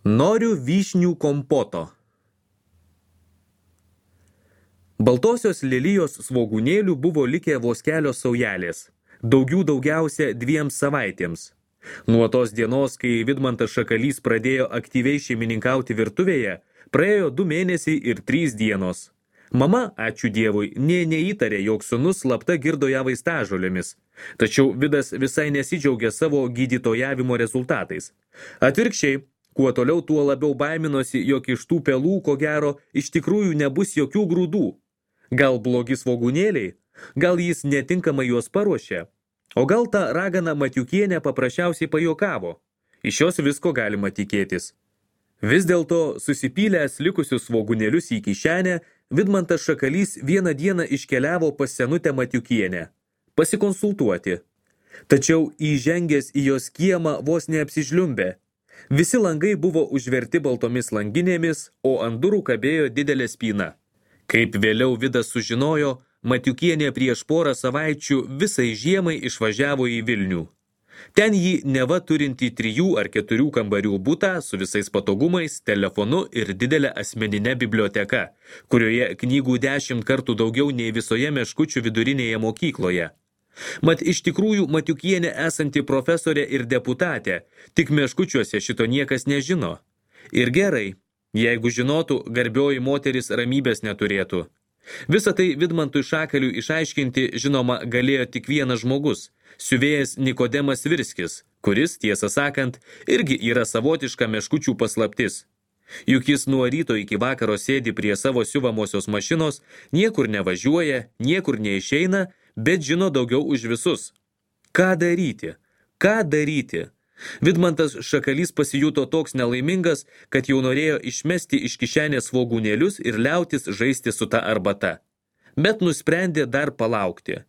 Noriu vyšnių kompoto. Baltosios lelijos svogūnėlių buvo likę vos kelios saujelės, daugiausia 2 savaitėms. Nuo tos dienos, kai Vidmantas Šakalys pradėjo aktyviai šeimininkauti virtuvėje, praėjo 2 mėnesiai ir 3 dienos. Mama, ačiū Dievui, neįtarė, jog sūnus slapta girdo ją vaistažolėmis, tačiau Vidas visai nesidžiaugė savo gydytojavimo rezultatais. Atvirkščiai, kuo toliau, tuo labiau baiminosi, jog iš tų pelų, ko gero, iš tikrųjų nebus jokių grūdų. Gal blogi svogūnėliai, gal jis netinkamai juos paruošė, o gal ta ragana Matiukienė paprasčiausiai pajuokavo. Iš jos visko galima tikėtis. Vis dėlto, susipylęs likusius svogūnėlius į kišenę, Vidmantas Šakalys vieną dieną iškeliavo pas senutę Matiukienę pasikonsultuoti. Tačiau įžengęs į jos kiemą vos neapsižliumbė. Visi langai buvo užverti baltomis langinėmis, o ant durų kabėjo didelė spyna. Kaip vėliau Vidas sužinojo, Matiukienė prieš porą savaičių visai žiemai išvažiavo į Vilnių. Ten jį neva turinti 3 ar 4 kambarių butą su visais patogumais, telefonu ir didelė asmeninė biblioteka, kurioje knygų 10 kartų daugiau nei visoje Meškučių vidurinėje mokykloje. Mat iš tikrųjų Matiukienė esanti profesorė ir deputatė, tik Meškučiuose šito niekas nežino. Ir gerai, jeigu žinotų, garbioji moteris ramybės neturėtų. Visą tai Vidmantui Šakaliui išaiškinti, žinoma, galėjo tik vienas žmogus, siuvėjas Nikodemas Virskis, kuris, tiesą sakant, irgi yra savotiška Meškučių paslaptis. Juk jis nuo ryto iki vakaro sėdi prie savo siuvamosios mašinos, niekur nevažiuoja, niekur neišeina, bet žino daugiau už visus. Ką daryti? Ką daryti? Vidmantas Šakalys pasijuto toks nelaimingas, kad jau norėjo išmesti iš kišenės svogūnėlius ir liautis žaisti su ta arbata. Bet nusprendė dar palaukti.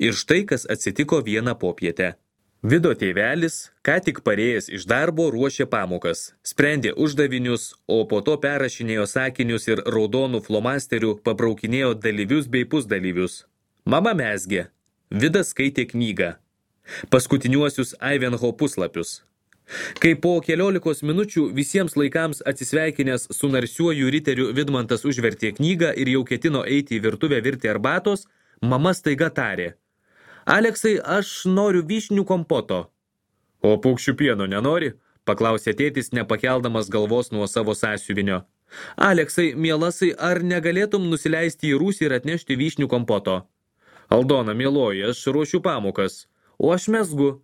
Ir štai kas atsitiko vieną popietę. Vido tėvelis, ką tik parėjęs iš darbo, ruošė pamokas, sprendė uždavinius, o po to perrašinėjo sakinius ir raudonų flomasterių pabraukinėjo dalyvius bei pusdalyvius. Mama mezgė. Vidas skaitė knygą. Paskutiniuosius Ivanhoe puslapius. Kai po 14 minučių visiems laikams atsisveikinęs su narsiuoju riteriu Vidmantas užvertė knygą ir jau ketino eiti į virtuvę virti arbatos, mama staiga tarė: Aleksai, aš noriu vyšnių kompoto. O paukščių pieno nenori? Paklausė tėtis, nepakeldamas galvos nuo savo sąsiuvinio. Aleksai, mielasai, ar negalėtum nusileisti į rūsį ir atnešti vyšnių kompoto? Aldona, mieloji, aš ruošiu pamokas. O aš mezgu.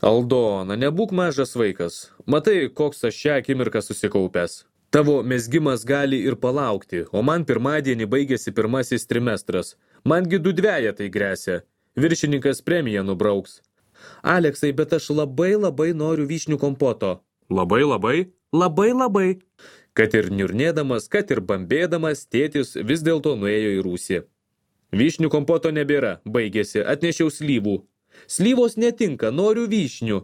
Aldona, nebūk mažas vaikas. Matai, koks aš šią akimirką susikaupęs. Tavo mezgimas gali ir palaukti, o man pirmadienį baigėsi 1 trimestras. Mangi 2 dvejetai gresia. Viršininkas premiją nubrauks. Aleksai, bet aš labai noriu vyšnių kompoto. Labai. Kad ir niurnėdamas, kad ir bambėdamas, tėtis vis dėlto nuėjo į rūsį. Vyšnių kompoto nebėra, baigėsi, atnešiau slyvų. Slyvos netinka, noriu vyšnių.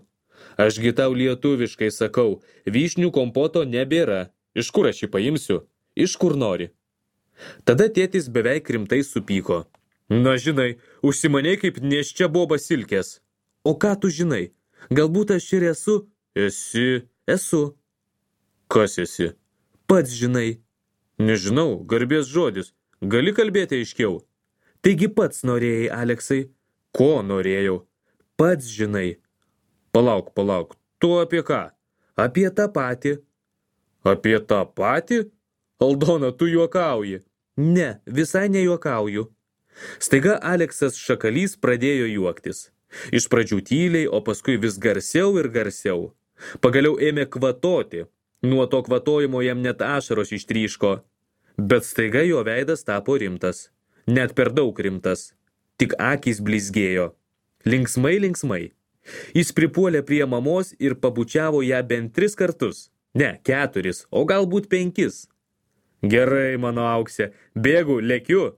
Ašgi tau lietuviškai sakau, vyšnių kompoto nebėra. Iš kur aš jį paimsiu? Iš kur nori? Tada tėtis beveik rimtai supyko. Na žinai, užsimanei kaip neščia boba silkės. O ką tu žinai? Galbūt aš ir esu? Esu. Kas esi? Pats žinai. Nežinau, garbės žodis. Gali kalbėti aiškiau? Taigi pats norėjai, Aleksai. Ko norėjau? Pats žinai. Palauk. Tu apie ką? Apie tą patį. Apie tą patį? Aldona, tu juokauji. Ne, visai nejuokauju. Staiga Aleksas Šakalys pradėjo juoktis. Iš pradžių tyliai, o paskui vis garsiau ir garsiau. Pagaliau ėmė kvatoti. Nuo to kvatojimo jam net ašaros ištryško. Bet staiga jo veidas tapo rimtas. Net per daug rimtas. Tik akys blizgėjo. Linksmai. Jis pripuolė prie mamos ir pabučiavo ją bent 3 kartus. Ne, 4, o galbūt 5. Gerai, mano auksė, bėgu, lekiu.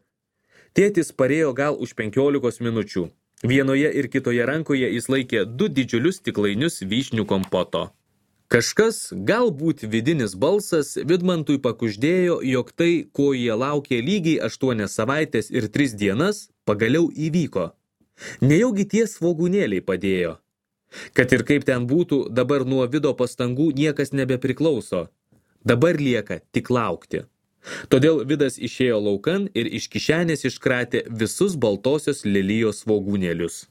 Tėtis parėjo gal už 15 minučių. Vienoje ir kitoje rankoje jis laikė 2 didžiulius stiklainius vyšnių kompoto. Kažkas, galbūt vidinis balsas, Vidmantui pakuždėjo, jog tai, ko jie laukė lygiai 8 savaitės ir 3 dienas, pagaliau įvyko. Nejaugi tie svogūnėliai padėjo. Kad ir kaip ten būtų, dabar nuo Vido pastangų niekas nebepriklauso. Dabar lieka tik laukti. Todėl Vidas išėjo laukan ir iš kišenės iškratė visus baltosios lelijos svogūnėlius.